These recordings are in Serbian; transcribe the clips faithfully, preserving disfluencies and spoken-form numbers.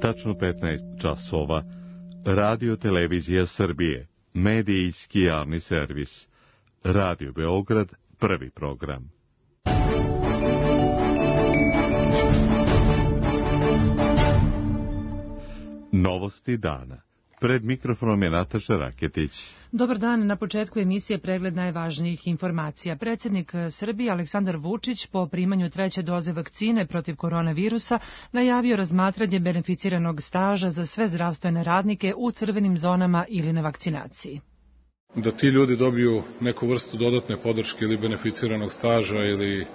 tačno petnaest časova, Radio Televizija Srbije, medijski javni servis, Radio Beograd, prvi program. Novosti dana. Pred mikrofonom je Nataša Raketić. Dobar dan, na početku emisije pregled najvažnijih informacija. Predsjednik Srbije Aleksandar Vučić po primanju treće doze vakcine protiv koronavirusa najavio razmatranje beneficiranog staža za sve zdravstvene radnike u crvenim zonama ili na vakcinaciji. Da ti ljudi dobiju neku vrstu dodatne podrške ili beneficiranog staža ili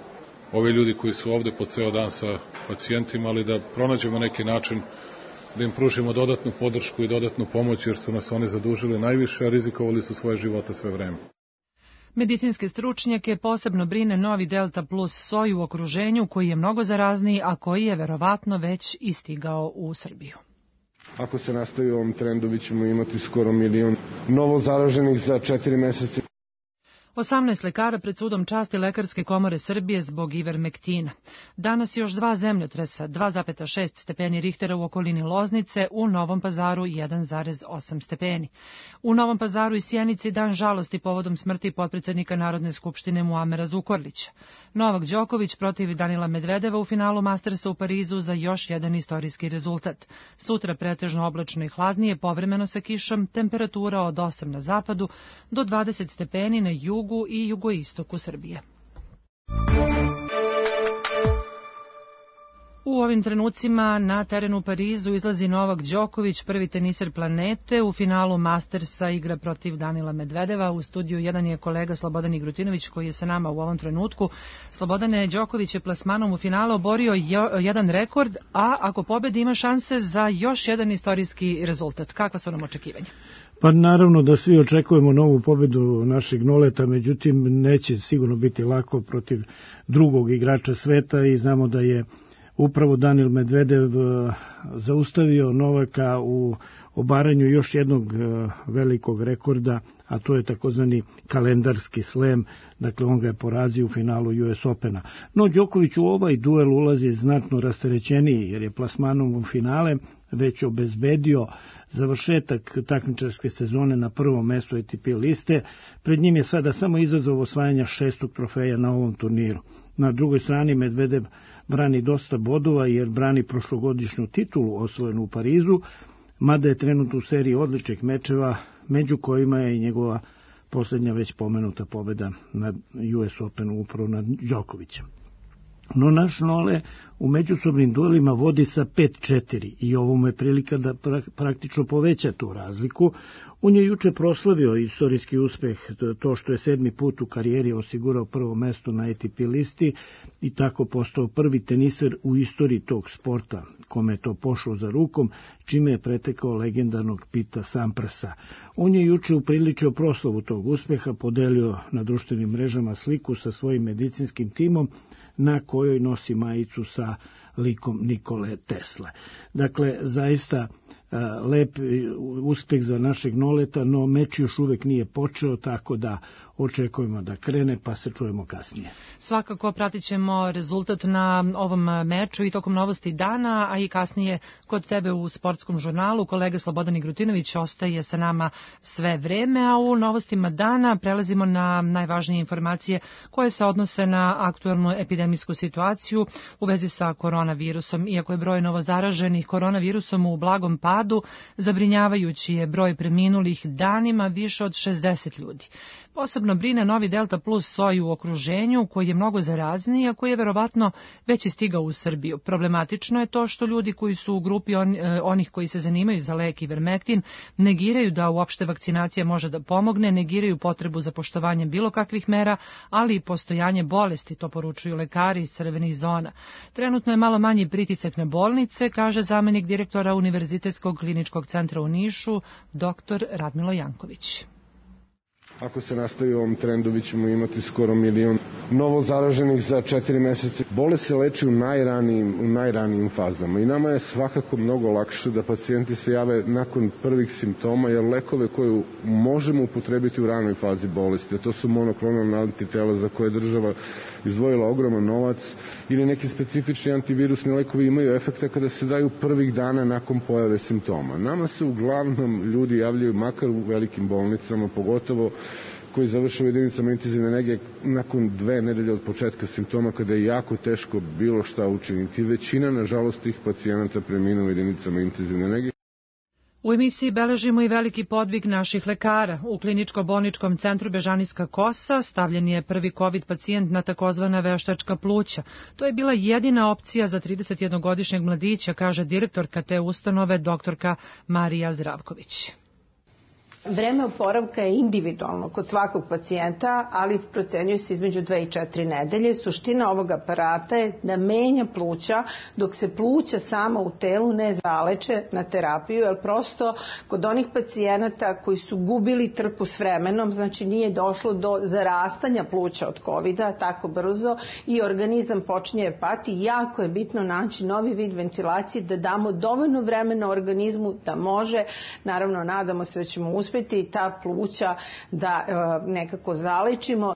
ovi ljudi koji su ovde po ceo dan sa pacijentima, ali da pronađemo neki način da im pružimo dodatnu podršku i dodatnu pomoć, jer su nas oni zadužili najviše, a rizikovali su svoje živote sve vreme. Medicinske stručnjake posebno brine novi Delta plus soj u okruženju, koji je mnogo zarazniji, a koji je verovatno već istigao u Srbiju. Ako se nastavi u ovom trendu, vi ćemo imati skoro milion novo zaraženih za četiri meseca. osamnaest lekara pred sudom časti Lekarske komore Srbije zbog ivermektina. Danas još dva zemljotresa, dva zarez šest stepeni Richtera u okolini Loznice, u Novom Pazaru jedan zarez osam stepeni. U Novom Pazaru i Sjenici dan žalosti povodom smrti potpredsednika Narodne skupštine Muamera Zukorlića. Novak Đoković protiv Danila Medvedeva u finalu Mastersa u Parizu za još jedan istorijski rezultat. Sutra pretežno oblačno i hladnije, povremeno sa kišom, temperatura od osam na zapadu do dvadeset stepeni na jugu i jugoistoku Srbije. U ovim trenucima na terenu u Parizu izlazi Novak Đoković, prvi teniser planete. U finalu Mastersa igra protiv Danila Medvedeva. U studiju jedan je kolega Slobodan Igrutinović koji je sa nama u ovom trenutku. Slobodane, Đoković je plasmanom u finalu oborio jedan rekord, a ako pobedi ima šanse za još jedan istorijski rezultat. Kakva su nam očekivanja? Pa naravno da svi očekujemo novu pobedu našeg Noleta, međutim neće sigurno biti lako protiv drugog igrača sveta i znamo da je upravo Danil Medvedev zaustavio Novaka u obaranju još jednog velikog rekorda, a to je takozvani kalendarski slam, dakle on ga je porazio u finalu U S Opena. No Đoković u ovaj duel ulazi znatno rasterećeniji, jer je plasmanom u finale već obezbedio završetak takmičarske sezone na prvom mestu A T P liste. Pred njim je sada samo izazov osvajanja šestog trofeja na ovom turniru. Na drugoj strani Medvedev brani dosta bodova jer brani prošlogodišnju titulu osvojenu u Parizu, mada je trenutno u seriji odličnih mečeva, među kojima je i njegova posljednja već pomenuta pobjeda na U S Openu upravo nad Đokovićem. No naš Nole u međusobnim duelima vodi sa pet četiri i ovo mu je prilika da praktično poveća tu razliku. On je juče proslavio istorijski uspeh, to što je sedmi put u karijeri osigurao prvo mesto na A T P listi i tako postao prvi teniser u istoriji tog sporta, kome je to pošlo za rukom, čime je pretekao legendarnog Pita Samprasa. On je juče upriličio proslavu tog uspeha, podelio na društvenim mrežama sliku sa svojim medicinskim timom, na kojoj nosi majicu sa likom Nikole Tesle. Dakle, zaista lep uspeh za našeg Noleta, no meč još uvek nije počeo, tako da očekujemo da krene, pa se čujemo kasnije. Svakako pratit ćemo rezultat na ovom meču i tokom novosti dana, a i kasnije kod tebe u sportskom žurnalu. Kolega Slobodan Igrutinović ostaje sa nama sve vreme, a u novostima dana prelazimo na najvažnije informacije koje se odnose na aktuelnu epidemijsku situaciju u vezi sa koronavirusom. Iako je broj novozaraženih koronavirusom u blagom padu, zabrinjavajući je broj preminulih danima više od šezdeset ljudi. Posebno brine novi Delta plus soj u okruženju, koji je mnogo zarazniji, a koji je verovatno već i stigao u Srbiju. Problematično je to što ljudi koji su u grupi on, onih koji se zanimaju za lek ivermektin negiraju da uopšte vakcinacija može da pomogne, negiraju potrebu za poštovanjem bilo kakvih mera, ali i postojanje bolesti, to poručuju lekari iz crvenih zona. Trenutno je malo manji pritisak na bolnice, kaže zamenik direktora Univerzitetskog kliničkog centra u Nišu, doktor Radmilo Janković. Ako se nastavi ovom trendu, vi ćemo imati skoro milion novo zaraženih za četiri meseca. Bolest se leči u najranijim, u najranijim fazama i nama je svakako mnogo lakše da pacijenti se jave nakon prvih simptoma, jer lekove koje možemo upotrebiti u ranoj fazi bolesti, a to su monoklonalna antitela za koje država izdvojila ogroman novac, ili neki specifični antivirusni lekovi imaju efekta kada se daju prvih dana nakon pojave simptoma. Nama se uglavnom ljudi javljaju, makar u velikim bolnicama, pogotovo koji završaju jedinicama intenzivne nege nakon dve nedelje od početka simptoma, kada je jako teško bilo šta učiniti. Većina, nažalost, tih pacijenata preminu u jedinicama intenzivne nege. U emisiji beležimo i veliki podvig naših lekara. U kliničko-bolničkom centru Bežanijska Kosa stavljen je prvi COVID pacijent na takozvana veštačka pluća. To je bila jedina opcija za tridesetjednogodišnjeg mladića, kaže direktorka te ustanove, doktorka Marija Zdravković. Vreme oporavka je individualno kod svakog pacijenta, ali procenjuje se između dve i četiri nedelje. Suština ovog aparata je da menja pluća dok se pluća sama u telu ne zaleče na terapiju, jer prosto kod onih pacijenata koji su gubili trku s vremenom, znači nije došlo do zarastanja pluća od kovida tako brzo i organizam počinje pati, jako je bitno naći novi vid ventilacije, da damo dovoljno vremena organizmu da može, naravno nadamo se da ćemo uspjeti uspjeti ta pluća da e, nekako zalečimo.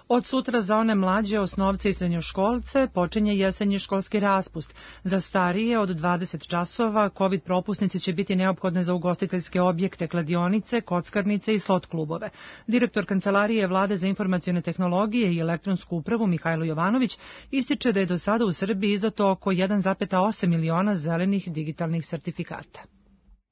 Od sutra za one mlađe osnovce i srednjoškolce počinje jesenji školski raspust. Za starije od dvadeset časova COVID propusnice će biti neophodne za ugostiteljske objekte, kladionice, kockarnice i slot klubove. Direktor Kancelarije Vlade za informacione tehnologije i elektronsku upravu Mihajlo Jovanović ističe da je do sada u Srbiji izdato oko jedan zarez osam miliona zelenih digitalnih sertifikata.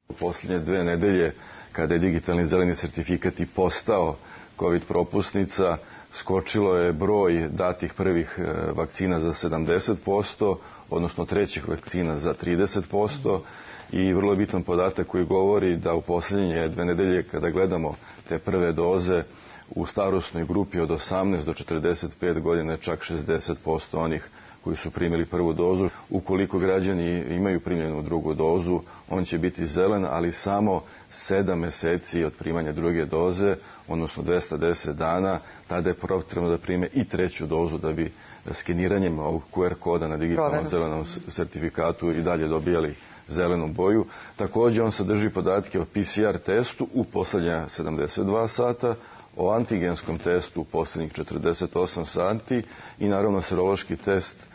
U posljednje dve nedelje, kada je digitalni zeleni sertifikat i postao COVID propusnica, skočilo je broj datih prvih vakcina za sedamdeset posto, odnosno trećih vakcina za trideset posto i vrlo je bitan podatak koji govori da u posljednje dve nedelje, kada gledamo te prve doze, u starosnoj grupi od osamnaest do četrdeset pet godina čak šezdeset posto onih koji su primili prvu dozu. Ukoliko građani imaju primljenu drugu dozu, on će biti zelen, ali samo sedam meseci od primanja druge doze, odnosno dvesta deset dana, tada je potrebno da prime i treću dozu da bi skeniranjem ovog ku er koda na digitalnom zelenom sertifikatu i dalje dobijali zelenu boju. Također on sadrži podatke o pe ce er testu u poslednja sedamdeset dva sata, o antigenskom testu u posljednjih četrdeset osam sati i naravno serološki test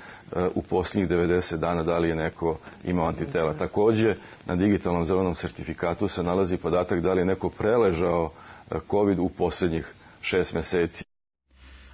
u posljednjih devedeset dana da li je neko imao antitela. Također na digitalnom zelenom sertifikatu se nalazi podatak da li je neko preležao COVID u posljednjih šest meseci.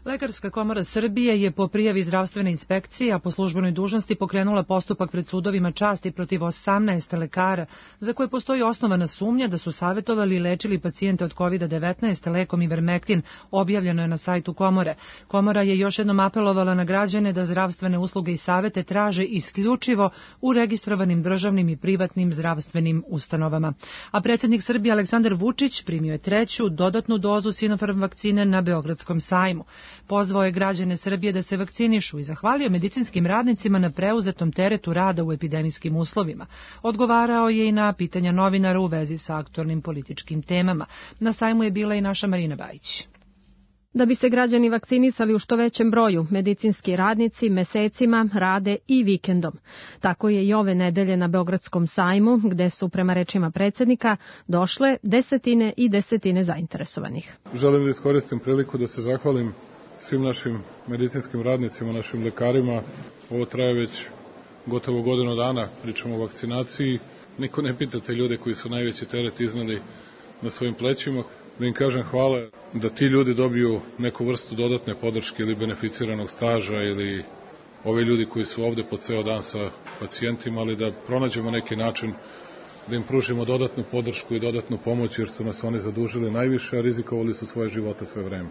Lekarska komora Srbije je po prijavi zdravstvene inspekcije, a po službenoj dužnosti pokrenula postupak pred sudovima časti protiv osamnaest lekara, za koje postoji osnovana sumnja da su savjetovali i lečili pacijente od kovid devetnaest lekom Ivermektin, objavljeno je na sajtu komore. Komora je još jednom apelovala na građane da zdravstvene usluge i savete traže isključivo u registrovanim državnim i privatnim zdravstvenim ustanovama. A predsjednik Srbije Aleksandar Vučić primio je treću dodatnu dozu Sinopharm vakcine na Beogradskom sajmu. Pozvao je građane Srbije da se vakcinišu i zahvalio medicinskim radnicima na preuzetom teretu rada u epidemijskim uslovima. Odgovarao je i na pitanja novinara u vezi sa aktualnim političkim temama. Na sajmu je bila i naša Marina Bajić. Da bi se građani vakcinisali u što većem broju, medicinski radnici mesecima rade i vikendom. Tako je i ove nedelje na Beogradskom sajmu, gde su, prema rečima predsjednika, došle desetine i desetine zainteresovanih. Želim da iskoristim priliku da se zahvalim svim našim medicinskim radnicima, našim lekarima. Ovo traje već gotovo godinu dana, pričamo o vakcinaciji. Niko ne pita te ljude koji su najveći teret iznali na svojim plećima. Da im kažem hvala da ti ljudi dobiju neku vrstu dodatne podrške ili beneficiranog staža ili ovi ljudi koji su ovde po ceo dan sa pacijentima, ali da pronađemo neki način da im pružimo dodatnu podršku i dodatnu pomoć, jer su nas oni zadužili najviše, a rizikovali su svoje živote sve vreme.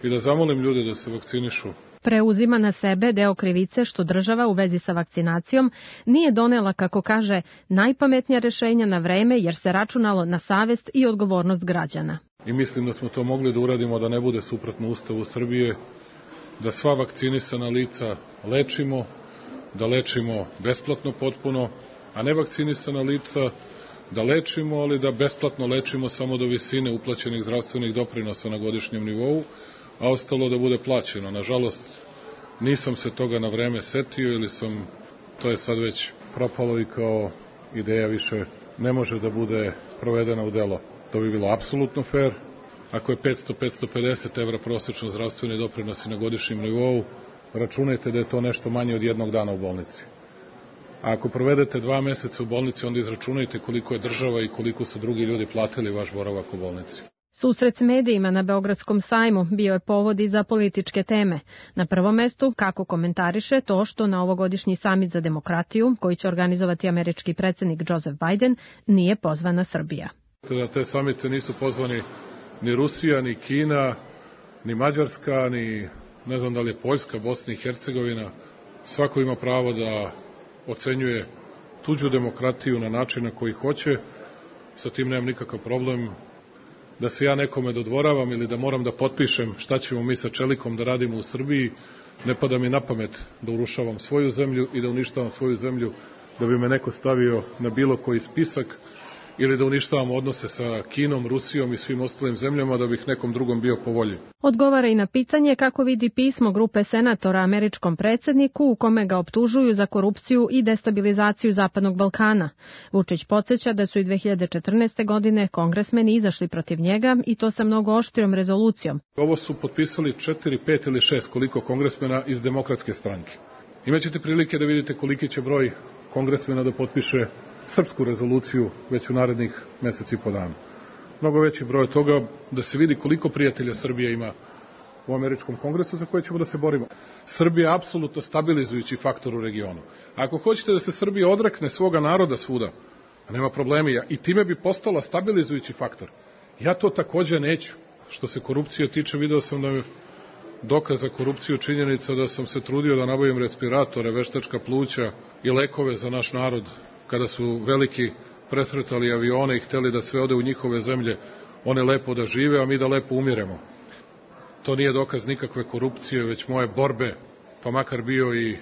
I da zamolim ljude da se vakcinišu. Preuzima na sebe deo krivice što država u vezi sa vakcinacijom nije donela, kako kaže, najpametnija rešenja na vreme, jer se računalo na savest i odgovornost građana. I mislim da smo to mogli da uradimo da ne bude suprotno Ustavu Srbije, da sva vakcinisana lica lečimo, da lečimo besplatno potpuno, a nevakcinisana lica da lečimo, ali da besplatno lečimo samo do visine uplaćenih zdravstvenih doprinosa na godišnjem nivou, a ostalo da bude plaćeno. Nažalost, nisam se toga na vreme setio ili sam, to je sad već propalo i kao ideja više ne može da bude provedena u delo. To bi bilo apsolutno fair. Ako je petsto do petsto pedeset evra prosečno zdravstveni doprinosi na godišnjem nivou, računajte da je to nešto manje od jednog dana u bolnici. A ako provedete dva meseca u bolnici, onda izračunajte koliko je država i koliko su drugi ljudi platili vaš boravak u bolnici. Susret s medijima na Beogradskom sajmu bio je povod i za političke teme. Na prvom mestu, kako komentariše to što na ovogodišnji samit za demokratiju, koji će organizovati američki predsjednik Joseph Biden, nije pozvana Srbija. Na te samite nisu pozvani ni Rusija, ni Kina, ni Mađarska, ni ne znam da li je Poljska, Bosna i Hercegovina. Svako ima pravo da ocenjuje tuđu demokratiju na način na koji hoće. Sa tim nemam nikakav problem. Da se ja nekome dodvoravam ili da moram da potpišem šta ćemo mi sa čelikom da radimo u Srbiji, ne pada mi na pamet da urušavam svoju zemlju i da uništavam svoju zemlju, da bi me neko stavio na bilo koji spisak ili da uništavamo odnose sa Kinom, Rusijom i svim ostalim zemljama da bih nekom drugom bio po volji. Odgovara i na pitanje kako vidi pismo grupe senatora američkom predsjedniku u kome ga optužuju za korupciju i destabilizaciju Zapadnog Balkana. Vučić podsjeća da su i dve hiljade četrnaeste. godine kongresmeni izašli protiv njega i to sa mnogo oštrijom rezolucijom. Ovo su potpisali četiri, pet ili šest koliko kongresmena iz Demokratske stranke. Imaćete prilike da vidite koliki će broj kongresmena da potpiše srpsku rezoluciju već u narednih meseci i po dana. Mnogo veći broj toga da se vidi koliko prijatelja Srbija ima u američkom kongresu za koje ćemo da se borimo. Srbija je apsolutno stabilizujući faktor u regionu. Ako hoćete da se Srbija odrekne svoga naroda svuda, nema problema, i time bi postala stabilizujući faktor. Ja to takođe neću. Što se korupcije tiče, video sam da je dokaz za korupciju činjenica da sam se trudio da nabavim respiratore, veštačka pluća i lekove za naš narod, kada su veliki presretali avione i hteli da sve ode u njihove zemlje, one lepo da žive, a mi da lepo umiremo. To nije dokaz nikakve korupcije, već moje borbe, pa makar bio i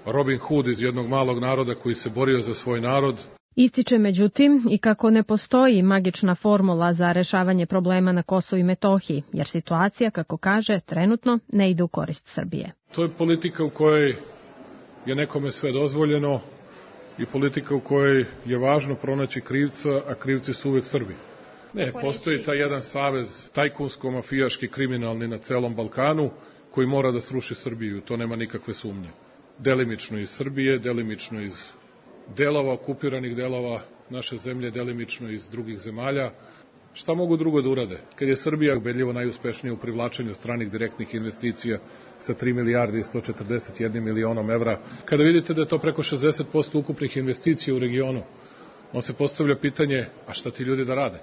Robin Hood iz jednog malog naroda koji se borio za svoj narod. Ističe međutim i kako ne postoji magična formula za rešavanje problema na Kosovu i Metohiji, jer situacija, kako kaže, trenutno ne ide u korist Srbije. To je politika u kojoj je nekome sve dozvoljeno i politika u kojoj je važno pronaći krivca, a krivci su uvek Srbi. Ne, postoji taj jedan savez tajkunsko-mafijaški kriminalni na celom Balkanu koji mora da sruši Srbiju, to nema nikakve sumnje. Delimično iz Srbije, delimično iz delova, okupiranih delova naše zemlje, delimično iz drugih zemalja. Šta mogu drugo da urade? Kad je Srbija ubedljivo najuspešnija u privlačenju stranih direktnih investicija sa tri milijarde i sto četrdeset jedan milionom evra, kada vidite da je to preko šezdeset posto ukupnih investicija u regionu, on se postavlja pitanje, a šta ti ljudi da rade?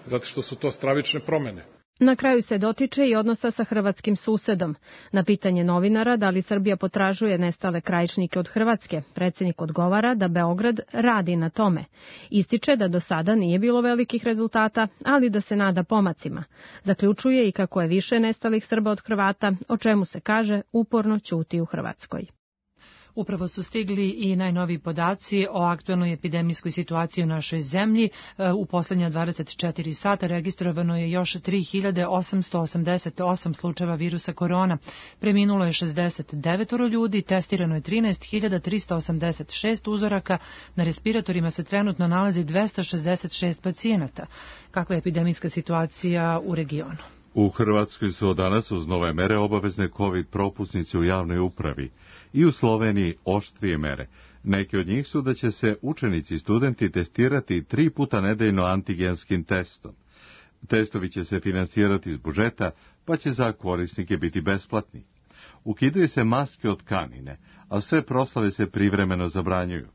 Zato što su to stravične promene. Na kraju se dotiče i odnosa sa hrvatskim susedom. Na pitanje novinara da li Srbija potražuje nestale krajičnike od Hrvatske, predsjednik odgovara da Beograd radi na tome. Ističe da do sada nije bilo velikih rezultata, ali da se nada pomacima. Zaključuje i kako je više nestalih Srba od Hrvata, o čemu se kaže uporno ćuti u Hrvatskoj. Upravo su stigli i najnoviji podaci o aktuelnoj epidemijskoj situaciji u našoj zemlji. U poslednja dvadeset četiri sata registrovano je još tri hiljade osamsto osamdeset osam slučajeva virusa korona. Preminulo je šezdeset devet ljudi, testirano je trinaest hiljada tristo osamdeset šest uzoraka, na respiratorima se trenutno nalazi dvesta šezdeset šest pacijenata. Kakva je epidemijska situacija u regionu? U Hrvatskoj su od danas uz nove mere obavezne COVID propusnice u javnoj upravi i u Sloveniji oštrije mere. Neki od njih su da će se učenici i studenti testirati tri puta nedeljno antigenskim testom. Testovi će se finansirati iz budžeta, pa će za korisnike biti besplatni. Ukidaju se maske od tkanine, a sve proslave se privremeno zabranjuju.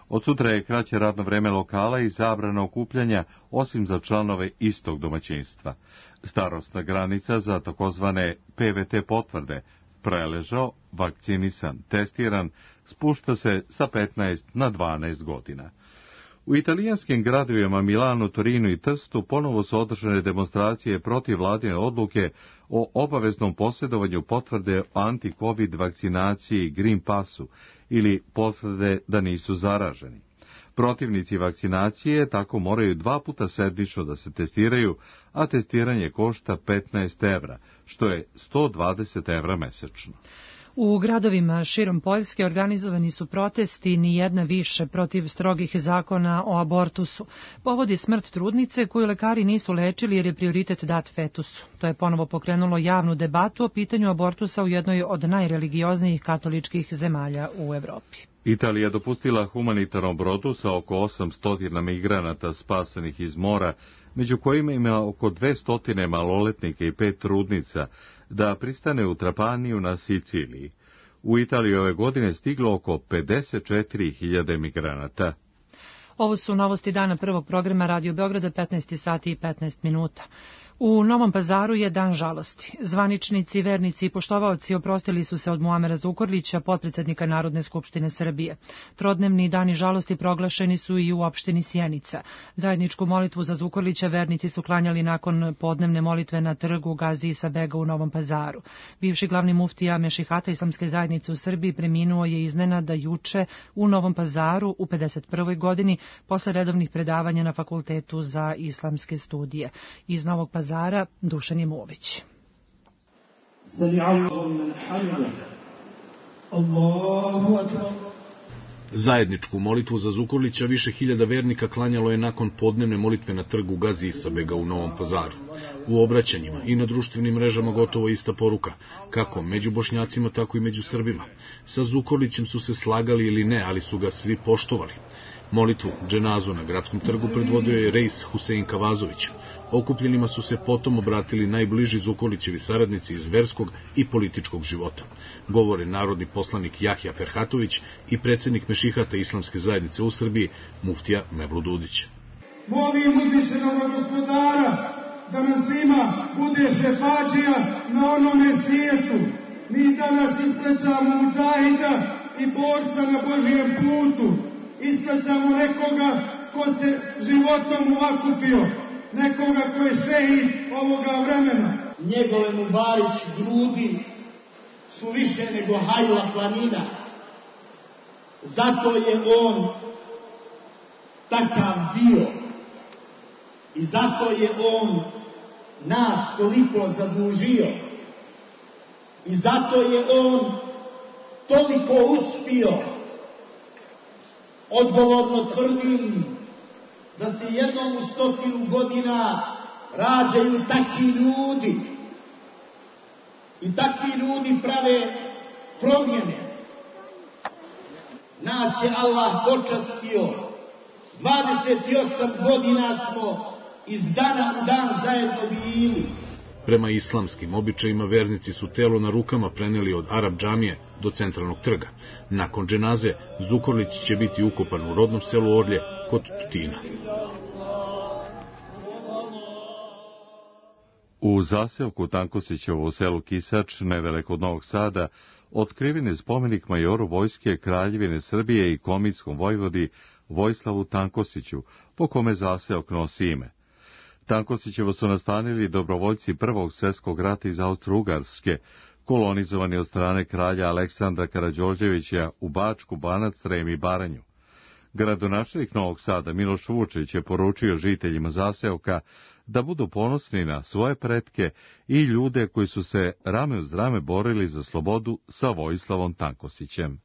Od sutra je kraće radno vreme lokala i zabrana okupljanja, osim za članove istog domaćinstva. Starosna granica za takozvane P V T potvrde, preležao, vakcinisan, testiran, spušta se sa petnaest na dvanaest godina. U italijanskim gradovima Milanu, Torinu i Trstu ponovo su održane demonstracije protiv vladine odluke o obaveznom posjedovanju potvrde o anti-covid vakcinaciji Green Passu ili potvrde da nisu zaraženi. Protivnici vakcinacije tako moraju dva puta sedmično da se testiraju, a testiranje košta petnaest evra, što je sto dvadeset evra mesečno. U gradovima širom Poljske organizovani su protesti, ni jedna više, protiv strogih zakona o abortusu. Povod je smrt trudnice koju lekari nisu lečili jer je prioritet dat fetusu. To je ponovo pokrenulo javnu debatu o pitanju abortusa u jednoj od najreligioznijih katoličkih zemalja u Evropi. Italija dopustila humanitarnom brodu sa oko osamsto migranata spasanih iz mora, među kojima ima oko dvesta maloletnika i pet trudnica, da pristane u Trapaniju na Siciliji. U Italiji ove godine stiglo oko pedeset četiri hiljade migranata. Ovo su novosti dana prvog programa Radio Beograda, petnaest sati i petnaest minuta. U Novom Pazaru je dan žalosti. Zvaničnici, vernici i poštovaoci oprostili su se od Muamera Zukorlića, potpredsednika Narodne skupštine Srbije. Trodnevni dani žalosti proglašeni su i u opštini Sjenica. Zajedničku molitvu za Zukorlića vernici su klanjali nakon podnevne molitve na trgu Gazi Isa Bega u Novom Pazaru. Bivši glavni muftija Mešihata Islamske zajednice u Srbiji preminuo je iznenada juče u Novom Pazaru u pedeset prvoj godini posle redovnih predavanja na Fakultetu za islamske studije. Iz Novog Pazara Zara Dušan Jemović. Zajedničku molitvu za Zukorlića više hiljada vernika klanjalo je nakon podnevne molitve na trgu Gazi Isa Bega u Novom Pazaru. U obraćanjima i na društvenim mrežama gotovo ista poruka, kako među Bošnjacima, tako i među Srbima. Sa Zukorlićem su se slagali ili ne, ali su ga svi poštovali. Molitvu dženazu na gradskom trgu predvodio je Reis Husein Kavazović. Okupljenima su se potom obratili najbliži Zukorlićevi saradnici iz verskog i političkog života. Govore narodni poslanik Jahja Ferhatović i predsjednik Mešihata Islamske zajednice u Srbiji, muftija Mevlud Dudić. Molim uzvišenog gospodara da nas svima bude šefađija na onome svijetu. Mi danas ispraćamo mudžahida i borca na Božijem putu. Ispraćamo nekoga ko se životom uvakupio, nekoga ko je šehid ovoga vremena. Njegove Mubarić grudi su više nego Hajla planina. Zato je on takav bio. I zato je on nas toliko zadužio. I zato je on toliko uspio. Odgovorno tvrdim da se jednom u stotinu godina rađaju takvi ljudi i takvi ljudi prave promjene. Nas je Allah počastio, dvadeset osam godina smo iz dana u dan zajedno bili. Prema islamskim običajima vernici su telo na rukama preneli od Arab džamije do centralnog trga. Nakon dženaze Zukorlić će biti ukopan u rodnom selu Orlje kod Tutina. U zaseoku Tankosićevo u selu Kisač, nedaleko od Novog Sada, otkriven je spomenik majoru vojske Kraljevine Srbije i komitskom vojvodi Vojislavu Tankosiću, po kome zaseok nosi ime. Tankosićevo su nastanili dobrovoljci Prvog svjetskog rata iz Austro-Ugarske, kolonizovani od strane kralja Aleksandra Karađorđevića u Bačku, Banac, Srem i Baranju. Gradonačelnik Novog Sada Miloš Vučić je poručio žiteljima zaseoka da budu ponosni na svoje pretke i ljude koji su se rame uz rame borili za slobodu sa Vojislavom Tankosićem.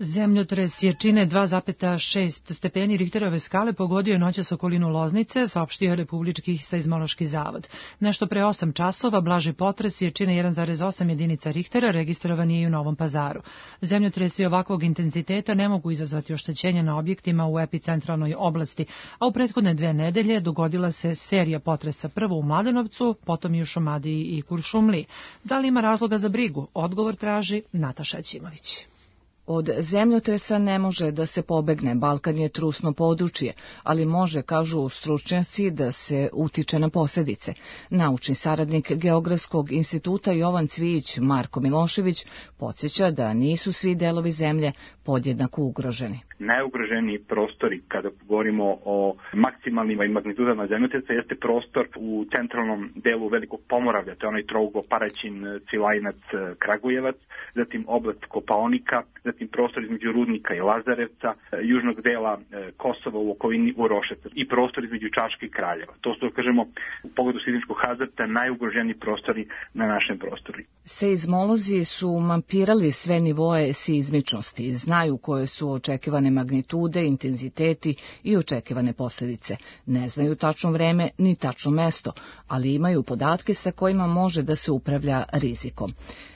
Zemljotres jačine dva zarez šest stepeni Richterove skale pogodio je noćas okolinu Loznice, saopštio je Republički seizmološki zavod. Nešto pre osam časova blaži potres jačine jedan zarez osam jedinica Richtera registrovan je i u Novom Pazaru. Zemljotresi ovakvog intenziteta ne mogu izazvati oštećenja na objektima u epicentralnoj oblasti, a u prethodne dve nedelje dogodila se serija potresa, prvo u Mladenovcu, potom i u Šumadiji i Kuršumliji. Da li ima razloga za brigu? Odgovor traži Nataša Ćimović. Od zemljotresa ne može da se pobegne, Balkan je trusno područje, ali može, kažu stručnjaci, da se utiče na posljedice. Naučni saradnik Geografskog instituta Jovan Cvijić Marko Milošević podsjeća da nisu svi delovi zemlje podjednako ugroženi. najugroženiji prostori kada govorimo o maksimalnim magnitudama zemljotresa jeste prostor u centralnom delu Velikog Pomoravlja, to je onaj trougao Paraćin, Cvilajnac, Kragujevac, zatim oblast Kopaonika, zatim prostor između Rudnika i Lazarevca, južnog dela Kosova u okolini Uroševca i prostor između Čačka i Kraljeva. To su, kažemo, u pogledu sismičkog hazarda najugroženiji prostori na našem prostoru. Seizmolozi su mapirali sve nivoe seizmičnosti, znaju koje su očekivane magnitude, intenziteti i očekivane posljedice. Ne znaju tačno vreme ni tačno mesto, ali imaju podatke sa kojima može da se upravlja rizikom.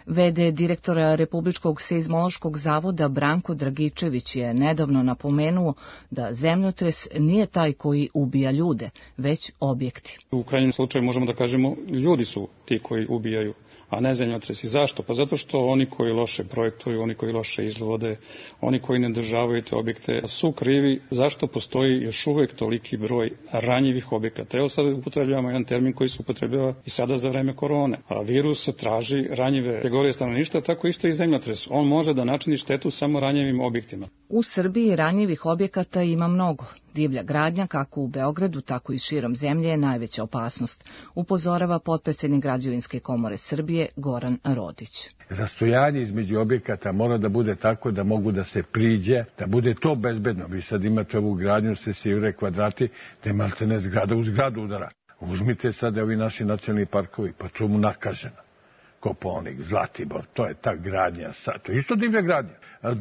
V D direktora Republičkog seizmološkog zavoda Branko Dragičević je nedavno napomenuo da zemljotres nije taj koji ubija ljude, već objekti. U krajnjem slučaju možemo da kažemo ljudi su ti koji ubijaju, a ne zemljotresi. Zašto? Pa zato što oni koji loše projektuju, oni koji loše izvode, oni koji ne državaju te objekte su krivi zašto postoji još uvek toliki broj ranjivih objekata. Evo sad upotrebljavamo jedan termin koji se upotrebljava i sada za vreme korone. A virus traži ranjive kategorije stanovništva, tako isto i zemljotres. On može da načini štetu samo ranjivim objektima. U Srbiji ranjivih objekata ima mnogo. Divlja gradnja, kako u Beogradu, tako i širom zemlje, je najveća opasnost, upozorava potpredsednik Građevinske komore Srbije Goran Rodić. Rastojanje između objekata mora da bude tako da mogu da se priđe, da bude to bezbedno. Vi sad imate ovu gradnju, se sivre kvadrati, da je maltene zgrada u zgradu udara. Uzmite sad ovi naši nacionalni parkovi, pa to mu nakaženo. Kopaonik, Zlatibor, to je ta gradnja sad. To je isto divlja gradnja,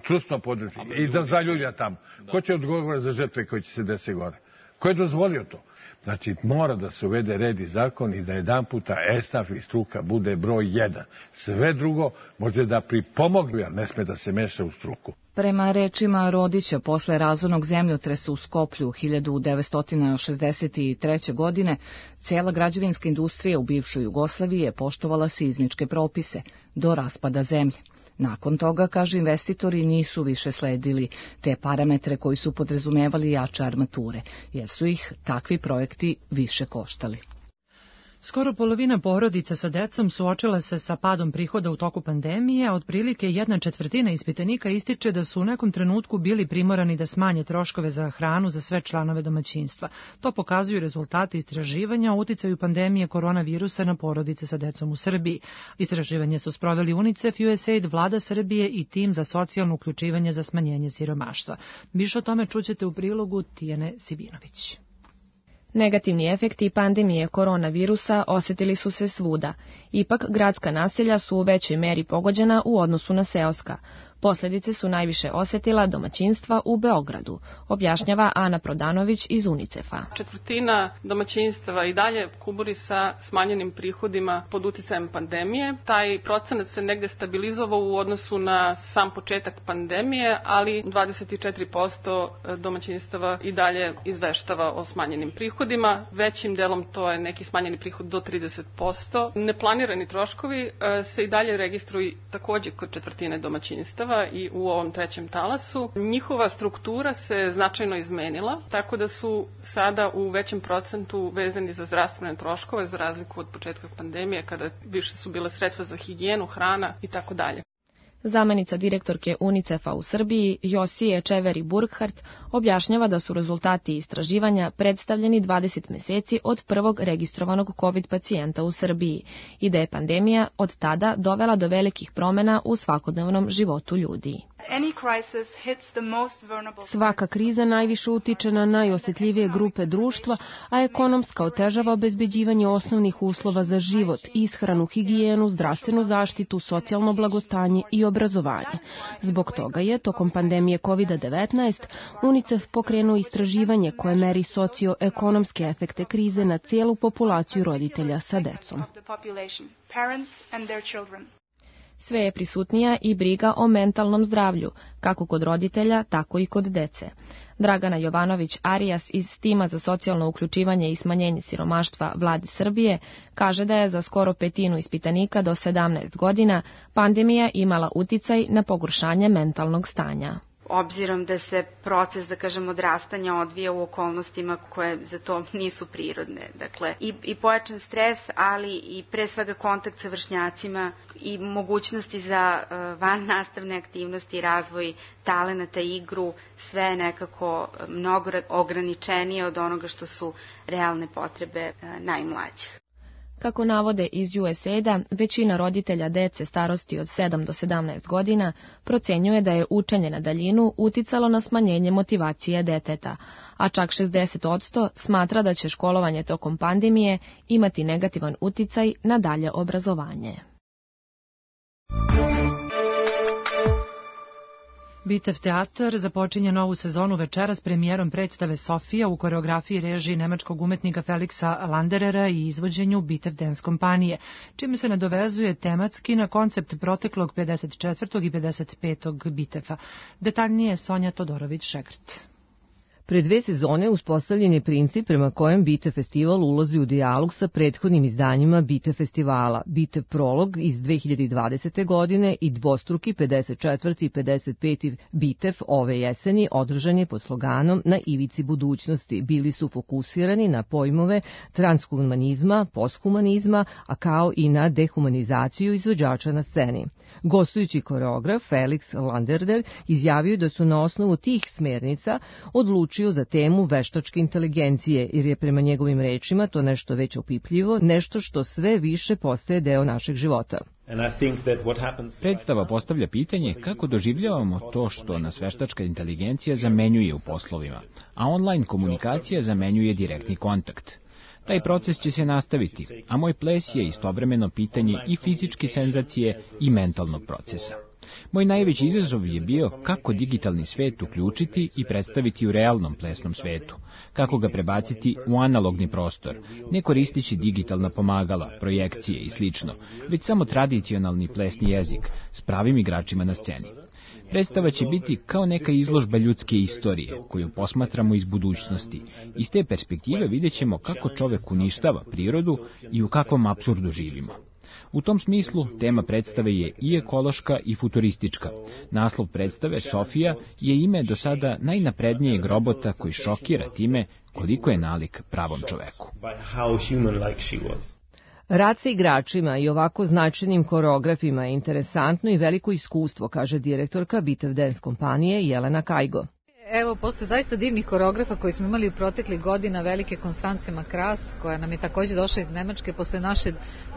trusno područje. I da zaljulja tamo. Ko će odgovoriti za žrtve koji će se desiti gore? Ko je dozvolio to? Znači, mora da se uvede red i zakon i da jedan puta esnaf i struka bude broj jedan. Sve drugo može da pripomognu, ali ne sme da se meša u struku. Prema rečima Rodića, posle razornog zemljotresa u Skoplju hiljadu devetsto šezdeset treće. godine, cijela građevinska industrija u bivšoj Jugoslaviji je poštovala seizmičke propise do raspada zemlje. Nakon toga, kaže, investitori nisu više sledili te parametre koji su podrazumevali jače armature, jer su ih takvi projekti više koštali. Skoro polovina porodica sa decom suočila se sa padom prihoda u toku pandemije, a otprilike jedna četvrtina ispitanika ističe da su u nekom trenutku bili primorani da smanje troškove za hranu za sve članove domaćinstva. To pokazuju rezultati istraživanja o uticaju pandemije koronavirusa na porodice sa decom u Srbiji. Istraživanje su sproveli UNICEF, U S A I D, Vlada Srbije i tim za socijalno uključivanje za smanjenje siromaštva. Više o tome čućete u prilogu Tijane Sibinović. Negativni efekti pandemije koronavirusa osetili su se svuda. Ipak, gradska naselja su u većoj meri pogođena u odnosu na seoska. Posljedice su najviše osetila domaćinstva u Beogradu, objašnjava Ana Prodanović iz UNICEF-a. Četvrtina domaćinstava i dalje kuburi sa smanjenim prihodima pod uticajem pandemije. Taj procenat se negde stabilizovao u odnosu na sam početak pandemije, ali dvadeset četiri posto domaćinstava i dalje izveštava o smanjenim prihodima. Većim delom to je neki smanjeni prihod do trideset posto. Neplanirani troškovi se i dalje registruju takođe kod četvrtine domaćinstava i u ovom trećem talasu. Njihova struktura se značajno izmenila, tako da su sada u većem procentu vezani za zdravstvene troškove, za razliku od početka pandemije, kada više su bile sredstva za higijenu, hrana i tako dalje. Zamenica direktorke UNICEF-a u Srbiji, Josije Čeveri Burkhardt, objašnjava da su rezultati istraživanja predstavljeni dvadeset meseci od prvog registrovanog COVID pacijenta u Srbiji i da je pandemija od tada dovela do velikih promena u svakodnevnom životu ljudi. Svaka kriza najviše utiče na najosjetljivije grupe društva, a ekonomska otežava obezbeđivanje osnovnih uslova za život, ishranu, higijenu, zdravstvenu zaštitu, socijalno blagostanje i obrazovanje. Zbog toga je, tokom pandemije kovid devetnaest, UNICEF pokrenuo istraživanje koje meri socioekonomske efekte krize na cijelu populaciju roditelja sa decom. Sve je prisutnija i briga o mentalnom zdravlju, kako kod roditelja, tako i kod dece. Dragana Jovanović-Arias iz tima za socijalno uključivanje i smanjenje siromaštva Vlade Srbije kaže da je za skoro petinu ispitanika do sedamnaest godina pandemija imala uticaj na pogoršanje mentalnog stanja. obzirom da se proces, da kažem, odrastanja odvija u okolnostima koje za to nisu prirodne. Dakle, i, i pojačan stres, ali i pre svega kontakt sa vršnjacima i mogućnosti za uh, van nastavne aktivnosti, razvoj talenata, igru, sve nekako mnogo ograničenije od onoga što su realne potrebe uh, najmlađih. Kako navode iz U S A I-da, većina roditelja dece starosti od sedam do sedamnaest godina procenjuje da je učenje na daljinu uticalo na smanjenje motivacije deteta, a čak šezdeset posto smatra da će školovanje tokom pandemije imati negativan uticaj na dalje obrazovanje. Bitev teatar započinje novu sezonu večeras premijerom predstave Sofija u koreografiji režiji nemačkog umetnika Felixa Landerera i izvođenju Bitev Dance kompanije, čime se nadovezuje tematski na koncept proteklog pedeset četvrtog i pedeset petog Bitefa. Detaljnije Sonja Todorović-Šekrt. Pre dve sezone uspostavljen je princip prema kojem Bitev festival ulazi u dijalog sa prethodnim izdanjima Bitev festivala, Bitev prolog iz dve hiljade dvadesete. godine i dvostruki pedeset četvrti i pedeset peti Bitev ove jeseni održan je pod sloganom Na ivici budućnosti. Bili su fokusirani na pojmove transhumanizma, posthumanizma, a kao i na dehumanizaciju izvođača na sceni. Gostujući koreograf Felix Landerder izjavio da su na osnovu tih smernica odlučio za temu veštačke inteligencije, jer je prema njegovim rečima to nešto već opipljivo, nešto što sve više postaje deo našeg života. Predstava postavlja pitanje kako doživljavamo to što nas veštačka inteligencija zamenjuje u poslovima, a online komunikacija zamenjuje direktni kontakt. Taj proces će se nastaviti, a moj ples je istovremeno pitanje i fizičke senzacije i mentalnog procesa. Moj najveći izazov je bio kako digitalni svet uključiti i predstaviti u realnom plesnom svetu, kako ga prebaciti u analogni prostor, ne koristići digitalna pomagala, projekcije i slično, već samo tradicionalni plesni jezik s pravim igračima na sceni. Predstava će biti kao neka izložba ljudske istorije, koju posmatramo iz budućnosti. Iz te perspektive vidjet ćemo kako čovek uništava prirodu i u kakvom apsurdu živimo. U tom smislu, tema predstave je i ekološka i futuristička. Naslov predstave, Sofija, je ime do sada najnaprednijeg robota koji šokira time koliko je nalik pravom čoveku. Rad sa igračima i ovako značajnim koreografima je interesantno i veliko iskustvo, kaže direktorka Bitev Dance kompanije Jelena Kajgo. Evo, posle zaista divnih koreografa koji smo imali u proteklih godina, velike Konstance Makras, koja nam je takođe došla iz Nemačke, posle naše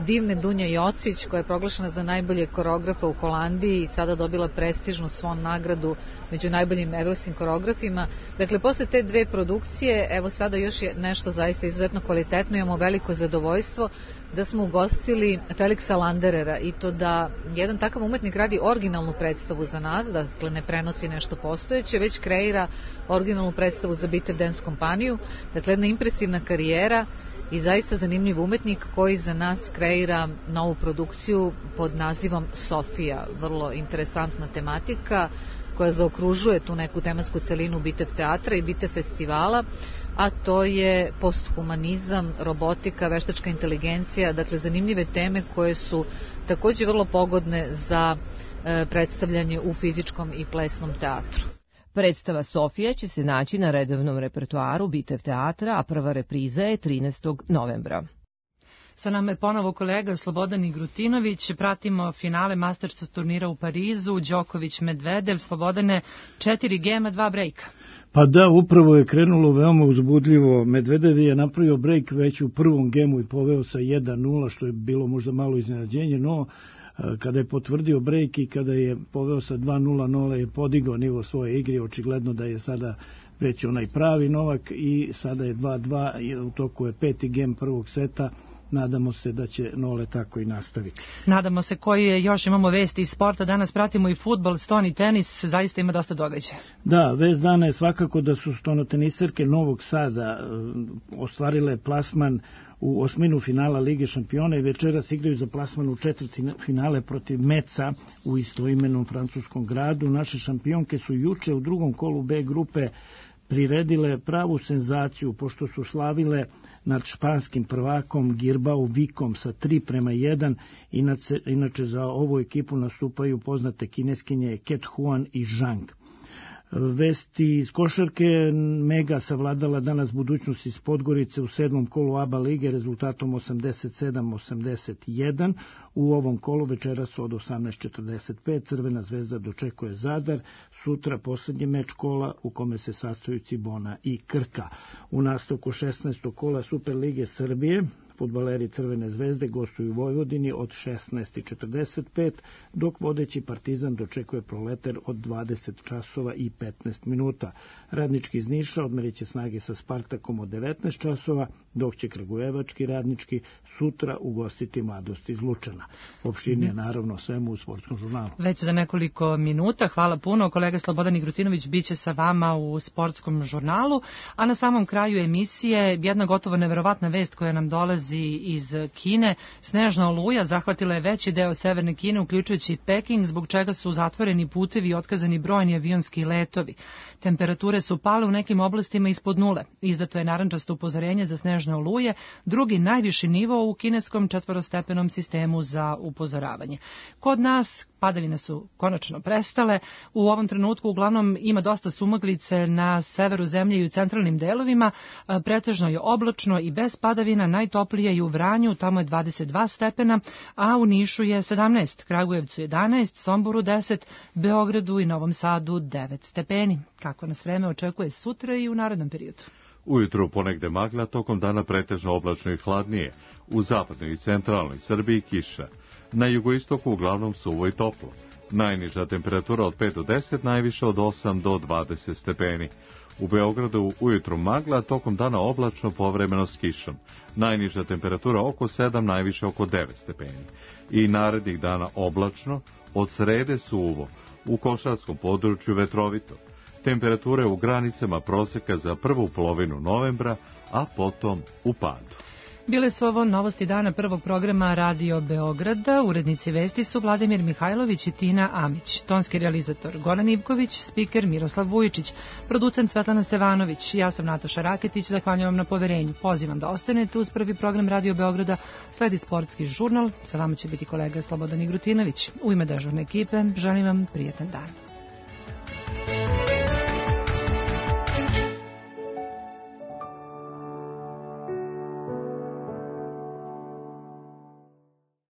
divne Dunja Jocić, koja je proglašena za najbolje koreografa u Holandiji i sada dobila prestižnu Swan nagradu među najboljim evropskim koreografima. Dakle, posle te dve produkcije, evo sada još je nešto zaista izuzetno kvalitetno, imamo veliko zadovoljstvo da smo ugostili Felixa Landerera i to da jedan takav umetnik radi originalnu predstavu za nas, dakle ne prenosi nešto postojeće, već kreira originalnu predstavu za Bitev Dance kompaniju, dakle jedna impresivna karijera i zaista zanimljiv umetnik koji za nas kreira novu produkciju pod nazivom Sofija, vrlo interesantna tematika koja zaokružuje tu neku tematsku celinu Bitev teatra i Bitev festivala, a to je posthumanizam, robotika, veštačka inteligencija, dakle zanimljive teme koje su takođe vrlo pogodne za e, predstavljanje u fizičkom i plesnom teatru. Predstava Sofija će se naći na redovnom repertoaru Bitev teatra, a prva repriza je trinaestog novembra. Sa nama je ponovo kolega Slobodan Grutinović. Pratimo finale Masters turnira u Parizu. Đoković Medvedev. Slobodane, četiri gema, dva brejka. Pa da, upravo je krenulo veoma uzbudljivo. Medvedev je napravio brejk već u prvom gemu i poveo sa jedan nula, što je bilo možda malo iznenađenje, no kada je potvrdio brejk i kada je poveo sa dva nula, Nole je podigao nivo svoje igre, očigledno da je sada već onaj pravi Novak i sada je dva dva, u toku je peti gem prvog seta. Nadamo se da će Nole tako i nastaviti. Nadamo se. Koji je, još imamo vesti iz sporta, danas pratimo i fudbal, stoni tenis, zaista ima dosta događaja. Da, vest dana je svakako da su stonoteniserke Novog Sada ostvarile plasman u osminu finala Lige šampiona i večeras igraju za plasman u četvrti finale protiv Meca u istoimenom francuskom gradu. Naše šampionke su juče u drugom kolu B grupe priredile pravu senzaciju, pošto su slavile nad španskim prvakom Girbao Vikom sa tri prema jedan. Inače, inače za ovu ekipu nastupaju poznate kineskinje Ket Huan i Zhang. Vesti iz košarke, Mega savladala danas budućnost iz Podgorice u sedmom kolu A B A lige rezultatom osamdeset sedam osamdeset jedan. U ovom kolu večeras od osamnaest četrdeset pet Crvena zvezda dočekuje Zadar, sutra poslednji meč kola u kome se sastoju Cibona i Krka. U nastavku šesnaestog kola Superlige Srbije fudbaleri Crvene zvezde gostuju u Vojvodini od šesnaest četrdeset pet, dok vodeći Partizan dočekuje Proletar od dvadeset časova i petnaest minuta. Radnički iz Niša odmerit će snage sa Spartakom od devetnaest časova, dok će kragujevački Radnički sutra ugostiti Mladost iz Lučana. Opširnije naravno svemu u Sportskom žurnalu. Već za nekoliko minuta, hvala puno. Kolega Slobodan Igrutinović biće sa vama u Sportskom žurnalu, a na samom kraju emisije jedna gotovo neverovatna vest koja nam dolazi iz Kine. Snežna oluja zahvatila je veći deo severne Kine, uključujući i Peking, zbog čega su zatvoreni putevi i otkazani brojni avionski letovi. Temperature su pale u nekim oblastima ispod nule. Izdato je narančasto upozorenje za snežne oluje, drugi najviši nivo u kineskom četvorostepenom sistemu za upozoravanje. Kod nas padavine su konačno prestale. U ovom trenutku uglavnom ima dosta sumaglice na severu zemlje i u centralnim delovima. Pretežno je oblačno i bez padavina, najtoplije je u Vranju, tamo je dvadeset dva stepena, a u Nišu je sedamnaest, Kragujevcu jedanaest, Somboru deset, Beogradu i Novom Sadu devet stepeni. Kako nas vreme očekuje sutra i u narednom periodu? Ujutru ponegde magla, tokom dana pretežno oblačno i hladnije. U zapadnoj i centralnoj Srbiji kiša. Na jugoistoku uglavnom suvo i toplo. Najniža temperatura od pet do deset, najviše od osam do dvadeset stepeni. U Beogradu ujutru magla, tokom dana oblačno, povremeno s kišom. Najniža temperatura oko sedam, najviše oko devet stepeni. I narednih dana oblačno, od srede suvo, u košarskom području vetrovito. Temperature u granicama proseka za prvu polovinu novembra, a potom u padu. Bile su ovo novosti dana prvog programa Radio Beograda. Urednici vesti su Vladimir Mihajlović i Tina Amić. Tonski realizator Goran Ivković, spiker Miroslav Vujičić, producent Svetlana Stevanović. Ja sam Nataša Raketić, zahvaljujem vam na poverenju. Pozivam da ostanete uz prvi program Radio Beograda. Sledi Sportski žurnal. Sa vama će biti kolega Slobodan Igrutinović. U ime dežurne ekipe želim vam prijetan dan.